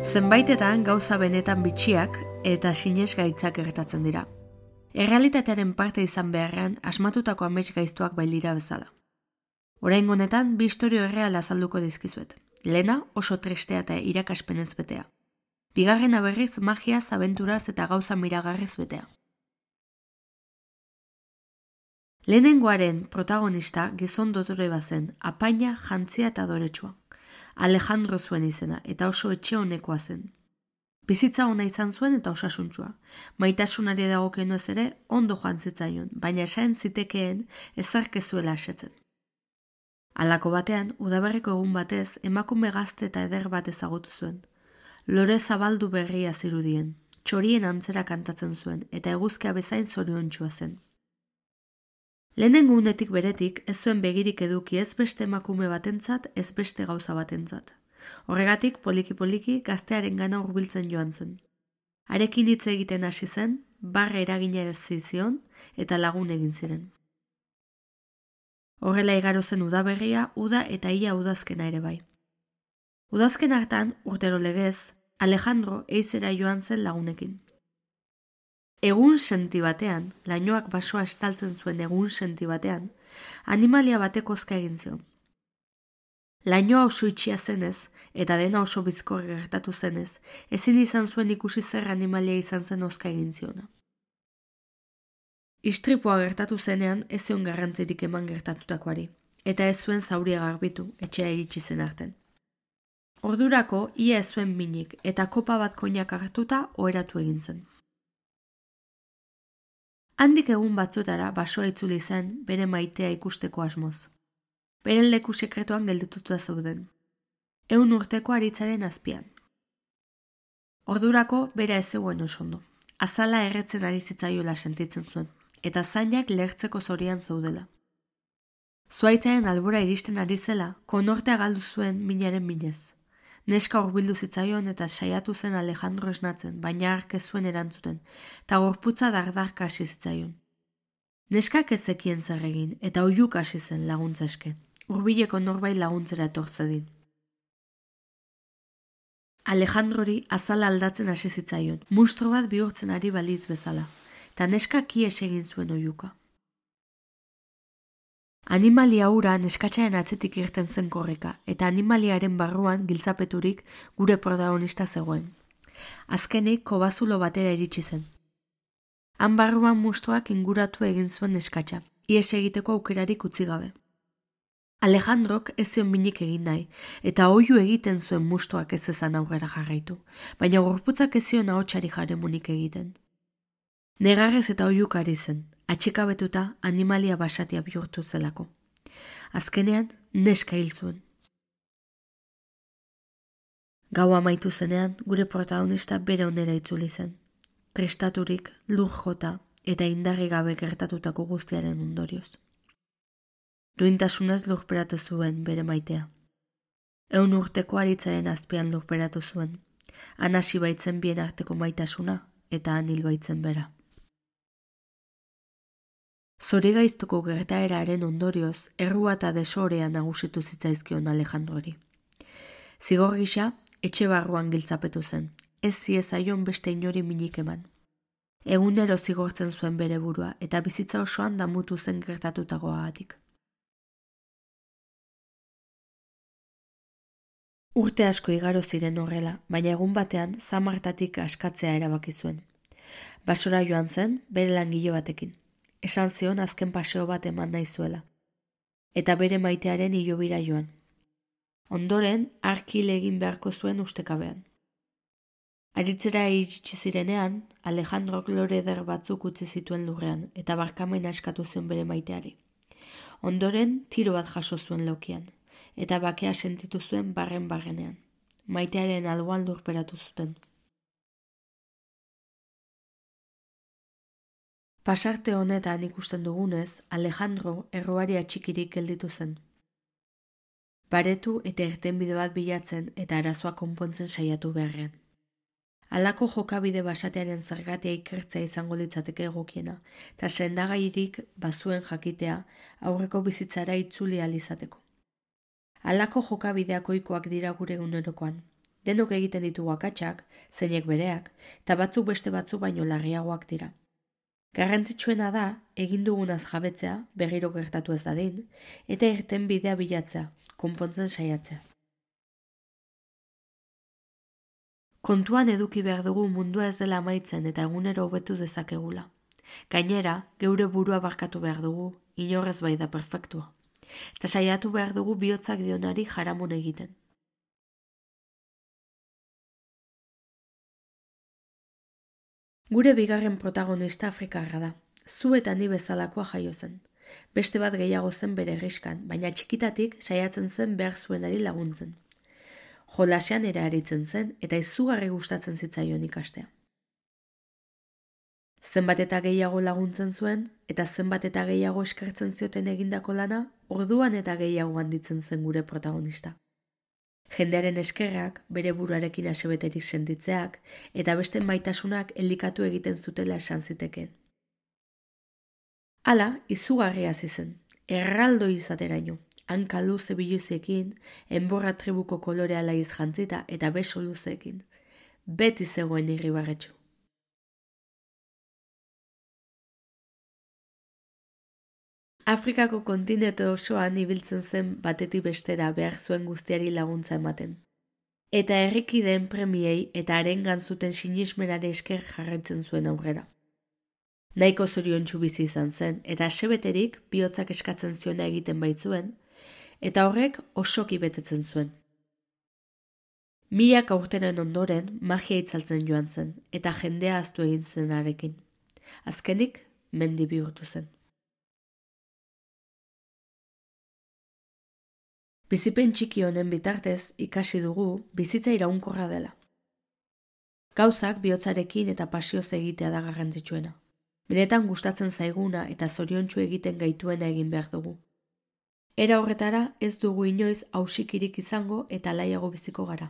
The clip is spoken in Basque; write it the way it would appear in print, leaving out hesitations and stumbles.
Zenbaitetan gauza benetan bitxiak eta sinesgaitzak gertatzen dira. Errealitatearen parte izan beharrean asmatutako amets gaiztuak bailira bezala. Oraingo honetan bi istorio erreal azalduko dizkizuet. Lehena oso tristea eta irakaspenez betea. Bigarrena berriz magiaz, abenturaz eta gauza miragarriz betea. Lehenengoaren protagonista gizon dotore bazen, apaina, jantzia eta adoretsua. Alejandro zuen izena eta oso etxe honekoa zen. Bizitza ona izan zuen eta osasuntsua. Maitasunari dagokionez ere ondo joan zitzaion, baina esaten zitekeen ezark ez zuela asetzen. Halako batean, udaberriko egun batez, emakume gazte eta eder bat ezagutu zuen. Lore zabaldu berria zirudien, txorien antzera kantatzen zuen eta eguzkia bezain zoriontsua zen. Lehenengo unetik beretik ez zuen begirik eduki ez beste emakume batentzat, ez beste gauza batentzat. Horregatik, poliki-poliki gaztearen gana hurbiltzen joan zen. Harekin hitz egiten hasi zen, barra eragina zizion eta lagun egin ziren. Horrela igaro zen udaberria, uda eta ia udazkena ere bai. Udazken hartan, urtero legez, Alejandro eizera joan zen lagunekin. Egun senti batean, lainoak basoa estaltzen zuen egun senti batean, animalia batek hozka egin zion. Lainoa oso itxia zenez, eta dena oso bizkor gertatu zenez, ezin izan zuen ikusi zer animalia izan zen hozka egin ziona. Istripua gertatu zenean ez zion garrantzirik eman gertatutakoari, eta ez zuen zauria garbitu, etxea iritsi zen arten. Ordurako ia ez zuen minik, eta kopa bat koinak hartuta oheratu egin zen. Handik egun batzuetara basoa itzuli zen bere maitea ikusteko asmoz. Beren leku sekretuan geldituta zeuden. 100 urteko aritzaren azpian. Ordurako bera ez zegoen oso ondo. Azala erretzen ari zitzaiola sentitzen zuen, eta zainak lehertzeko zorian zeudela. Zuhaitzaren albora iristen ari zela, konortea galdu zuen minaren minez. Neska hurbildu zitzaion eta saiatu zen Alejandro esnatzen, baina ark ez zuen erantzuten, eta gorputza dardarka hasi zitzaion. Neskak ez zekien zer egin, eta oihuk hasi zen laguntza eske. Hurbileko norbait laguntzera etortzedin. Alejandrori azala aldatzen hasi zitzaion, munstro bat bihurtzen ari baliz bezala, eta neskak ihes egin zuen oihuka. Animalia hura neskatxaren atzetik irten zen korrika, eta animaliaren barruan giltzapeturik gure protagonista zegoen. Azkenik kobazulo batera iritsi zen. Han barruan mustoak inguratu egin zuen neskatxa, ihes egiteko aukerarik utzi gabe. Alejandrok ez zion minik egin nahi, eta oihu egiten zuen mustoak ez ezan aurrera jarraitu, baina gorputzak ez zion ahotsari jaremunik egiten. Negarrez eta oihuk ari zen, atxikabetuta animalia basatia bihurtu zelako. Azkenean, neska hil zuen. Gaua amaitu zenean, gure protagonista bere onera itzuli zen. Tristaturik, lur jota eta indarri gabe gertatutako guztiaren ondorioz. Duintasunez lurperatu zuen bere maitea. 100 urteko aritzaren azpian lurperatu zuen. Han hasi baitzen bien arteko maitasuna eta han hil baitzen bera. Zorigaiztoko gertaeraren ondorioz, errua eta desorea nagusitu zitzaizkion Alejandrori. Zigor gisa, etxe barruan giltzapetu zen, ez ziezaion beste inori minik eman. Egunero zigortzen zuen bere burua, eta bizitza osoan damutu zen gertatutakoagatik. Urte asko igaro ziren horrela, baina egun batean zamartatik askatzea erabaki zuen. Basora joan zen, bere langile batekin. Esan zion azken paseo bat eman nahi zuela, eta bere maitearen hilobira joan. Ondoren, arkil egin beharko zuen ustekabean. Aritzera iritsi zirenean, Alejandrok lore eder batzuk utzi zituen lurrean, eta barkamena eskatu zion bere maiteari. Ondoren, tiro bat jaso zuen laukian, eta bakea sentitu zuen barrenean. Maitearen alboan lurperatu zuten. Pasarte honetan ikusten dugunez, Alejandro erroari atxikirik gelditu zen. Baretu eta irtenbide bat bilatzen eta arazoa konpontzen saiatu beharrean. Halako jokabide basatearen zergatia ikertzea izango litzateke egokiena, eta sendagairik bazuen jakitea aurreko bizitzara itzuli ahal izateko. Halako jokabideak ohikoak dira gure egunerokoan. Denok egiten ditugu akatsak, zeinek bereak, eta batzuk beste batzuk baino larriagoak dira. Garrantzitsuena da, egin dugunaz jabetzea, berriro gertatu ez dadin, eta irten bidea bilatzea, konpontzen saiatzea. Kontuan eduki behar dugu mundua ez dela amaitzen eta egunero hobetu dezakegula. Gainera, geure burua barkatu behar dugu, inorrez bai da perfektua. Eta saiatu behar dugu bihotzak dionari jaramun egiten. Gure bigarren protagonista afrikarra da. Zu eta ni bezalakoa jaio zen. Beste bat gehiago zen bere herriskan, baina txikitatik saiatzen zen behar zuenari laguntzen. Jolasean ere aritzen zen eta izugarri gustatzen zitzaion ikastea. Zenbat eta gehiago laguntzen zuen eta zenbat eta gehiago eskertzen zioten egindako lana, orduan eta gehiago handitzen zen gure protagonista. Jendearen eskerrak, bere buruarekin asebeterik sentitzeak eta beste maitasunak elikatu egiten zutela esan zitekeen. Hala, izugarria hasi zen, erraldo izateraino, hanka luze biluziekin, enborra tribuko kolorea laiz jantzita eta beso luzeekin. Beti zegoen irribarretxu. Afrikako kontinente osoan ibiltzen zen batetik bestera behar zuen guztiari laguntza ematen. Eta herrikideen premiei eta harengan zuten sinismenari esker jarraitzen zuen aurrera. Nahiko zoriontsu bizi izan zen eta asebeterik bihotzak eskatzen ziona egiten baitzuen, eta horrek osoki betetzen zuen. Milaka urteren ondoren magia itzaltzen joan zen eta jendea ahaztu egin zen harekin. Azkenik mendi bihurtu zen. Bizipen txiki honen bitartez ikasi dugu bizitza iraunkorra dela. Gauzak bihotzarekin eta pasioz egitea da garrantzitsuena. Benetan gustatzen zaiguna eta zoriontsu egiten gaituena egin behar dugu. Era horretara ez dugu inoiz hausikirik izango eta laiago biziko gara.